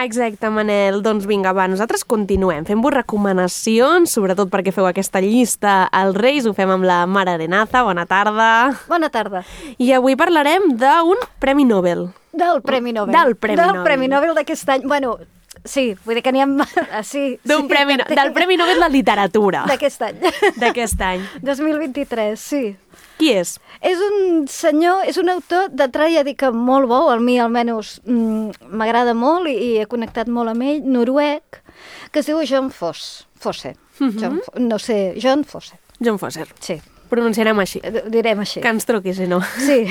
Exacte, Manel. Doncs vinga, va, nosaltres continuem. Fem-vos recomanacions, sobretot perquè feu aquesta llista als Reis. Ho fem amb la Mar Arenaza. Bona tarda. Bona tarda. I avui parlarem d'un Premi Nobel. Del Premi Nobel. Del Premi Nobel d'aquest any. Bueno, sí, vull dir que n'hi ha... Sí, del Premi Nobel de Literatura. D'aquest any. D'aquest any. 2023, sí. Qui és? És un senyor, és un autor d'entrada, ja dic que molt bo, a mi almenys m'agrada molt i he connectat molt amb ell, noruec, que es diu John Fosse. John Fosse. John Fosse. Sí. Pronunciarem així. Direm així. Que ens truqui, si no. Sí,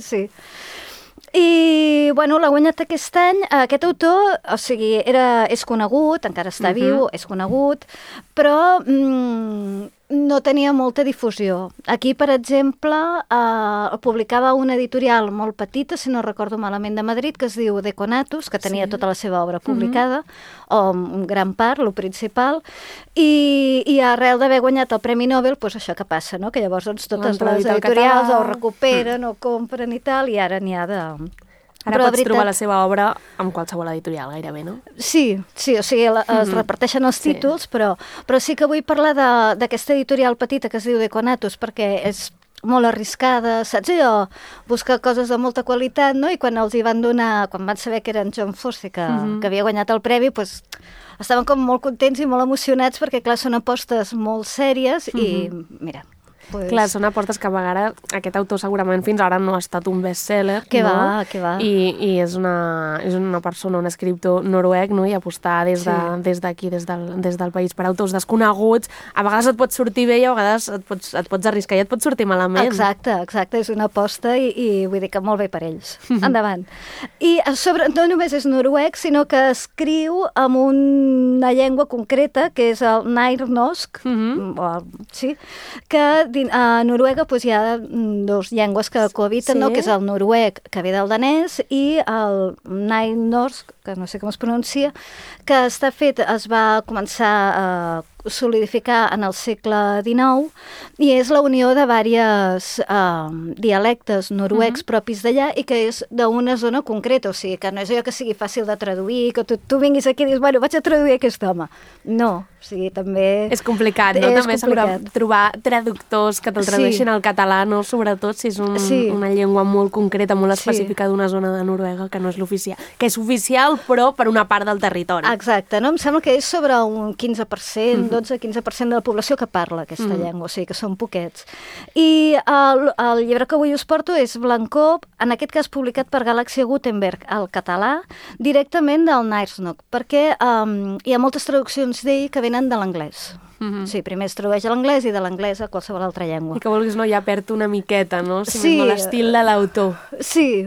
sí. I, bueno, l'ha guanyat aquest any. Aquest autor, o sigui, és conegut, encara està viu, és conegut, però no tenia molta difusió. Aquí, per exemple, publicava una editorial molt petita, si no recordo malament, de Madrid, que es diu Deconatus, que tenia tota la seva obra publicada, o en gran part, lo principal, i arrel d'haver guanyat el Premi Nobel, doncs això que passa, no? Que llavors totes les editorials ho recuperen o compren i tal, i ara n'hi ha de... Ara pots trobar la seva obra amb qualsevol editorial, gairebé, no? Sí, o sigui, es reparteixen els títols, però sí que vull parlar d'aquesta editorial petita que es diu Deconatus, perquè és molt arriscada, saps allò? Buscar coses de molta qualitat, no? I quan els hi van donar, quan van saber que era en John Fosse, que havia guanyat el premi, doncs estaven com molt contents i molt emocionats, perquè, clar, són apostes molt sèries i, mira... Clar, són apostes que a vegades aquest autor segurament fins ara no ha estat un best-seller, que no? va. I és una persona, un escriptor noruec, no? I apostar des d'aquí, des del país, per autors desconeguts, a vegades et pot sortir bé i a vegades et pots arriscar i et pot sortir malament. Exacte, és una aposta i vull dir que molt bé per ells. Endavant. I a sobre, no només és noruec, sinó que escriu amb una llengua concreta, que és el nynorsk, sí, que a Noruega hi ha dues llengües que cohabiten, que és el noruec, que ve del danès, i el nynorsk, que no sé com es pronuncia, que es va començar a solidificar en el segle XIX i és la unió de diversos dialectes noruecs propis d'allà i que és d'una zona concreta, o sigui, que no és allò que sigui fàcil de traduir, que tu vinguis aquí i dius, bueno, vaig a traduir aquest home. No, o sigui, també... És complicat, no? També complicat. Trobar traductors que te'l tradueixin al català, no? Sobretot si és una llengua molt concreta, molt específica d'una zona de Noruega que no és l'oficial, que és oficial però per una part del territori. Exacte, no? Em sembla que és sobre un 15%, 12-15% de la població que parla aquesta llengua, o sigui que són poquets. I el llibre que avui us porto és Blancó, en aquest cas publicat per Galàxia Gutenberg al català, directament del nynorsk, perquè hi ha moltes traduccions d'ell que venen de l'anglès. Sí, primer es tradueix a l'anglès i de l'anglès a qualsevol altra llengua. I que vulguis, no, ja perd una miqueta, no? Si més no l'estil de l'autor. Sí,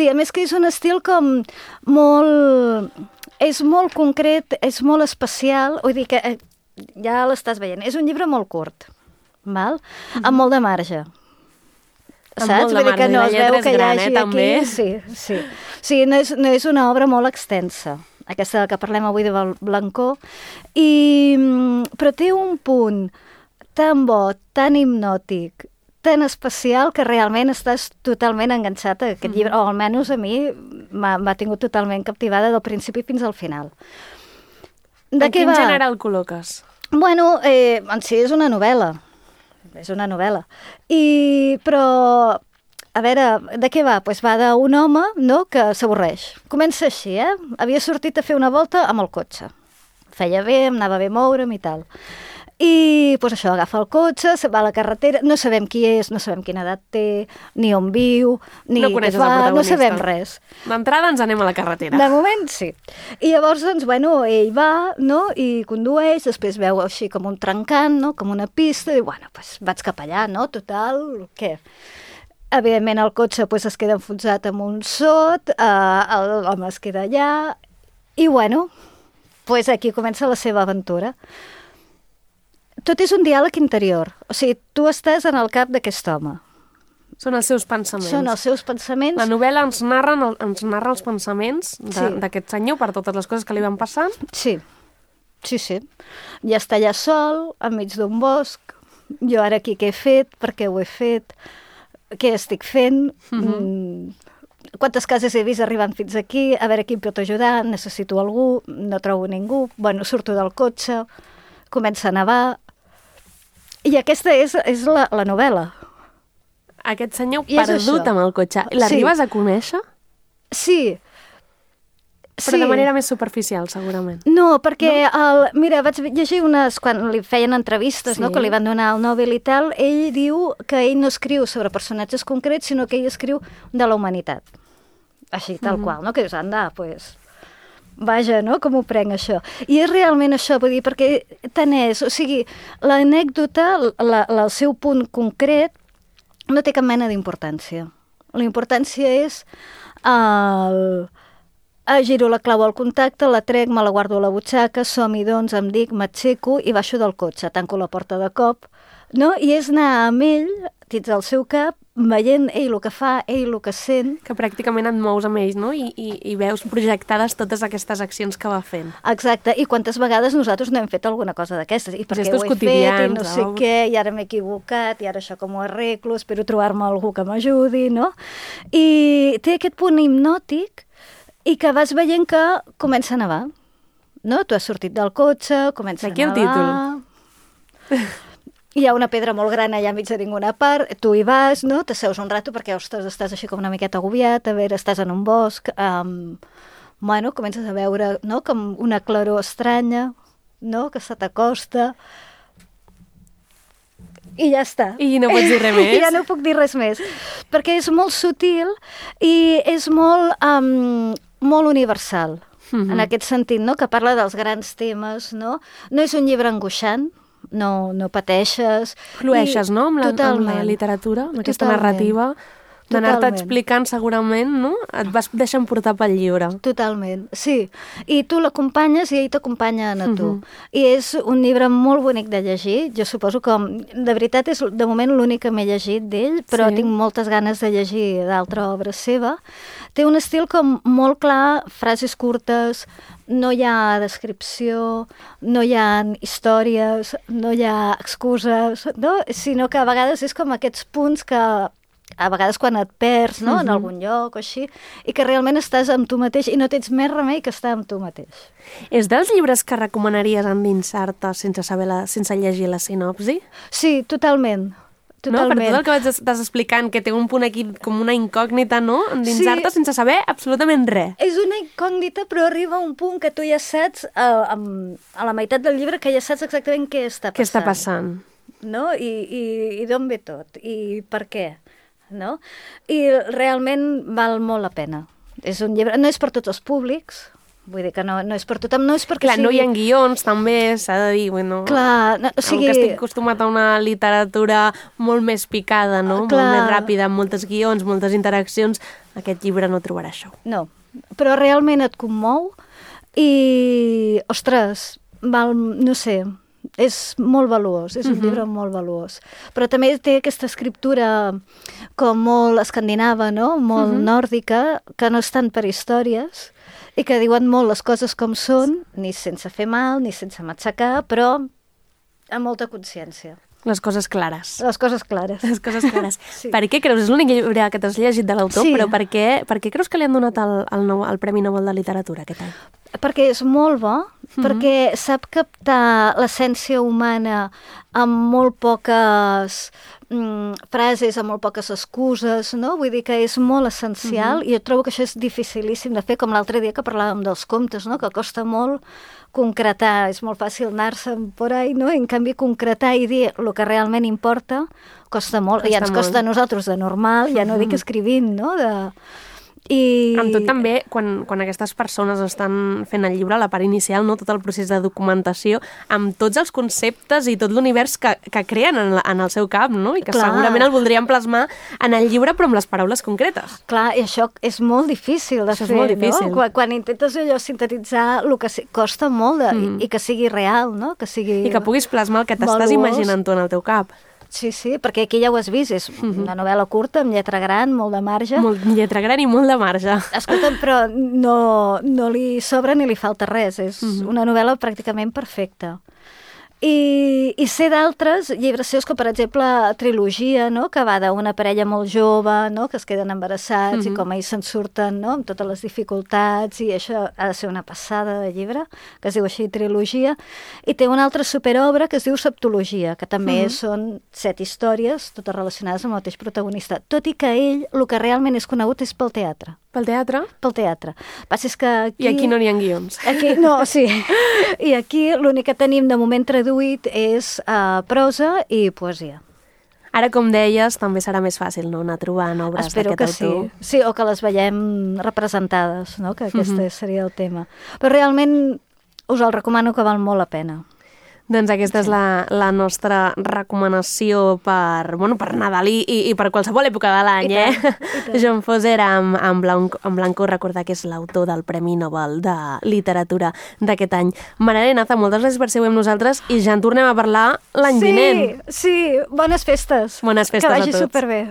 a més que és un estil com molt... És molt concret, és molt especial, vull dir que ja l'estàs veient. És un llibre molt curt, val? Amb molt de marge. Saps? Vull dir que no es veu que hi gran, hagi també. aquí... Sí, no és una obra molt extensa, aquesta que parlem avui de Blancó, però té un punt tan bo, tan hipnòtic, tan especial que realment estàs totalment enganxat a aquest llibre, o almenys a mi m'ha tingut totalment captivada del principi fins al final. En quin gènere el col·loques? Bueno, en si és una novel·la. Però, a veure, de què va? Doncs va d'un home, no?, que s'avorreix. Comença així, Havia sortit a fer una volta amb el cotxe. Feia bé, em anava bé moure'm i tal. I doncs això, agafa el cotxe, se'n va a la carretera, no sabem qui és, no sabem quina edat té, ni on viu, ni què fa, no sabem res. D'entrada ens anem a la carretera. De moment sí. I llavors, doncs, bueno, ell va, no?, i condueix, després veu així com un trencant, no?, com una pista, i bueno, doncs vaig cap allà, no?, total, què? Evidentment el cotxe es queda enfonsat amb un sot, l'home es queda allà, i bueno, aquí comença la seva aventura. Tot és un diàleg interior. O sigui, tu estàs en el cap d'aquest home. Són els seus pensaments. La novel·la ens narra els pensaments d'aquest senyor per totes les coses que li van passant. Sí. Ja està allà sol, enmig d'un bosc. Jo ara aquí què he fet, per què ho he fet, què estic fent. quantes cases he vist arribant fins aquí, a veure qui em pot ajudar, necessito algú, no trobo ningú, bueno, surto del cotxe, comença a nevar, i aquesta és la novel·la. Aquest senyor perdut amb el cotxe. L'arribes a conèixer? Sí. Però de manera més superficial, segurament. No, perquè, mira, vaig llegir quan li feien entrevistes, no, que li van donar el Nobel i tal, ell diu que ell no escriu sobre personatges concrets, sinó que ell escriu de la humanitat. Així, tal qual, no? Que dius, anda, pues, vaja, no? Com ho prenc, això? I és realment això, vull dir, perquè tant és, o sigui, l'anècdota, el seu punt concret, no té cap mena d'importància. La importància és giro la clau al contacte, la trec, me la guardo a la butxaca, som-hi, doncs, em dic, m'aixeco i baixo del cotxe, tanco la porta de cop, no? I és anar amb ell, dins del seu cap, veient ell el que fa, ell el que sent. Que pràcticament et mous amb ells, no? I veus projectades totes aquestes accions que va fent. Exacte, i quantes vegades nosaltres no hem fet alguna cosa d'aquestes, i per què ho he fet, i no sé què, i ara m'he equivocat, i ara això com ho arreglo, espero trobar-me algú que m'ajudi, no? I té aquest punt hipnòtic i que vas veient que comença a nevar, no? Tu has sortit del cotxe, comença a nevar... Aquí el títol. Hi ha una pedra molt gran allà enmig de ninguna part, tu hi vas, no? T'asseus un rato perquè, ostres, estàs així com una miqueta agobiat, a veure, estàs en un bosc, bueno, comences a veure, no?, com una claror estranya, no?, que se t'acosta, i ja està. I no pots dir res més? I ja no puc dir res més, perquè és molt sutil i és molt universal, en aquest sentit, no?, que parla dels grans temes, no? No és un llibre angoixant, no pateixes. Flueixes, no?, amb la literatura, amb aquesta narrativa, d'anar-te explicant segurament, no? Et vas deixant portar pel llibre. Totalment, sí. I tu l'acompanyes i ell t'acompanya a tu. I és un llibre molt bonic de llegir. Jo suposo que, de veritat, és de moment l'únic que m'he llegit d'ell, però tinc moltes ganes de llegir d'altra obra seva. Té un estil com molt clar, frases curtes, no hi ha descripció, no hi ha històries, no hi ha excuses, no? Sinó que a vegades és com aquests punts que a vegades quan et perds, no?, en algun lloc o així, i que realment estàs amb tu mateix i no tens més remei que estar amb tu mateix. És dels llibres que recomanaries endinsar-te sense llegir la sinopsi? Sí, totalment. No? Per tot el que estàs explicant, que té un punt aquí com una incògnita, no? Endinsar-te sense saber absolutament res. És una incògnita, però arriba a un punt que tu ja saps, a la meitat del llibre, que ja saps exactament què està passant. Què està passant. No? I d'on ve tot, i per què, no? I realment val molt la pena. És un llibre, no és per tots els públics, vull dir que no és per tothom, no és perquè sigui... Clar, no hi ha guions, també, s'ha de dir, bueno... Clar, o sigui... Que estic acostumat a una literatura molt més picada, no? Clar. Molt més ràpida, amb moltes guions, moltes interaccions, aquest llibre no trobarà això. No, però realment et commou i, ostres, no sé, és molt valuós, és un llibre molt valuós. Però també té aquesta escriptura com molt escandinava, no? Molt nòrdica, que no és tant per històries, i que diuen molt les coses com són, ni sense fer mal, ni sense matxacar, però amb molta consciència. Les coses clares. Les coses clares. Les coses clares. Sí. Per què creus? És l'únic llibre que t'has llegit de l'autor, però per què creus que li han donat el Premi Nobel de Literatura aquest any? Perquè és molt bo, perquè sap captar l'essència humana amb molt poques frases, amb molt poques excuses, no? Vull dir que és molt essencial i jo trobo que això és dificilíssim de fer, com l'altre dia que parlàvem dels contes, no? Que costa molt concretar, és molt fàcil anar-se'n por ahí, no? En canvi, concretar i dir el que realment importa costa molt, i ens costa a nosaltres de normal, ja no dic escrivint, no? Amb tot també, quan aquestes persones estan fent el llibre, la part inicial, no, tot el procés de documentació, amb tots els conceptes i tot l'univers que creen en el seu cap, no? I que segurament el voldrien plasmar en el llibre, però amb les paraules concretes. Clar, i això és molt difícil de fer, no? Quan intentes allò sintetitzar, el que costa molt i que sigui real, no? I que puguis plasmar el que t'estàs imaginant tu en el teu cap. Sí, perquè aquí ja ho has vist, és una novel·la curta, amb lletra gran, molt de marge. Lletra gran i molt de marge. Escolta'm, però no li sobra ni li falta res, és una novel·la pràcticament perfecta. I sé d'altres llibres seus, com per exemple Trilogia, no? Que va d'una parella molt jove, no? Que es queden embarassats i com ells se'n surten, no? Amb totes les dificultats, i això ha de ser una passada de llibre, que es diu així Trilogia. I té una altra superobra que es diu Septologia, que també són 7 històries, totes relacionades amb el mateix protagonista, tot i que ell, el que realment és conegut és pel teatre. Pel teatre? Pel teatre. Passa és que aquí... I aquí no n'hi ha guions. Aquí, no, sí. I aquí l'únic que tenim de moment traduït és prosa i poesia. Ara, com deies, també serà més fàcil, no?, anar trobant obres d'aquest autor. Espero que sí. Sí, o que les veiem representades, no?, que aquest seria el tema. Però realment us el recomano, que val molt la pena. Doncs aquesta és la nostra recomanació per Nadal i per qualsevol època de l'any, Joan Foser en Blanco, recordar que és l'autor del Premi Nobel de Literatura d'aquest any. Mara Arenaza, moltes gràcies per ser amb nosaltres i ja en tornem a parlar l'any vinent. Sí, bones festes. Bones festes a tots. Que vagi superbé.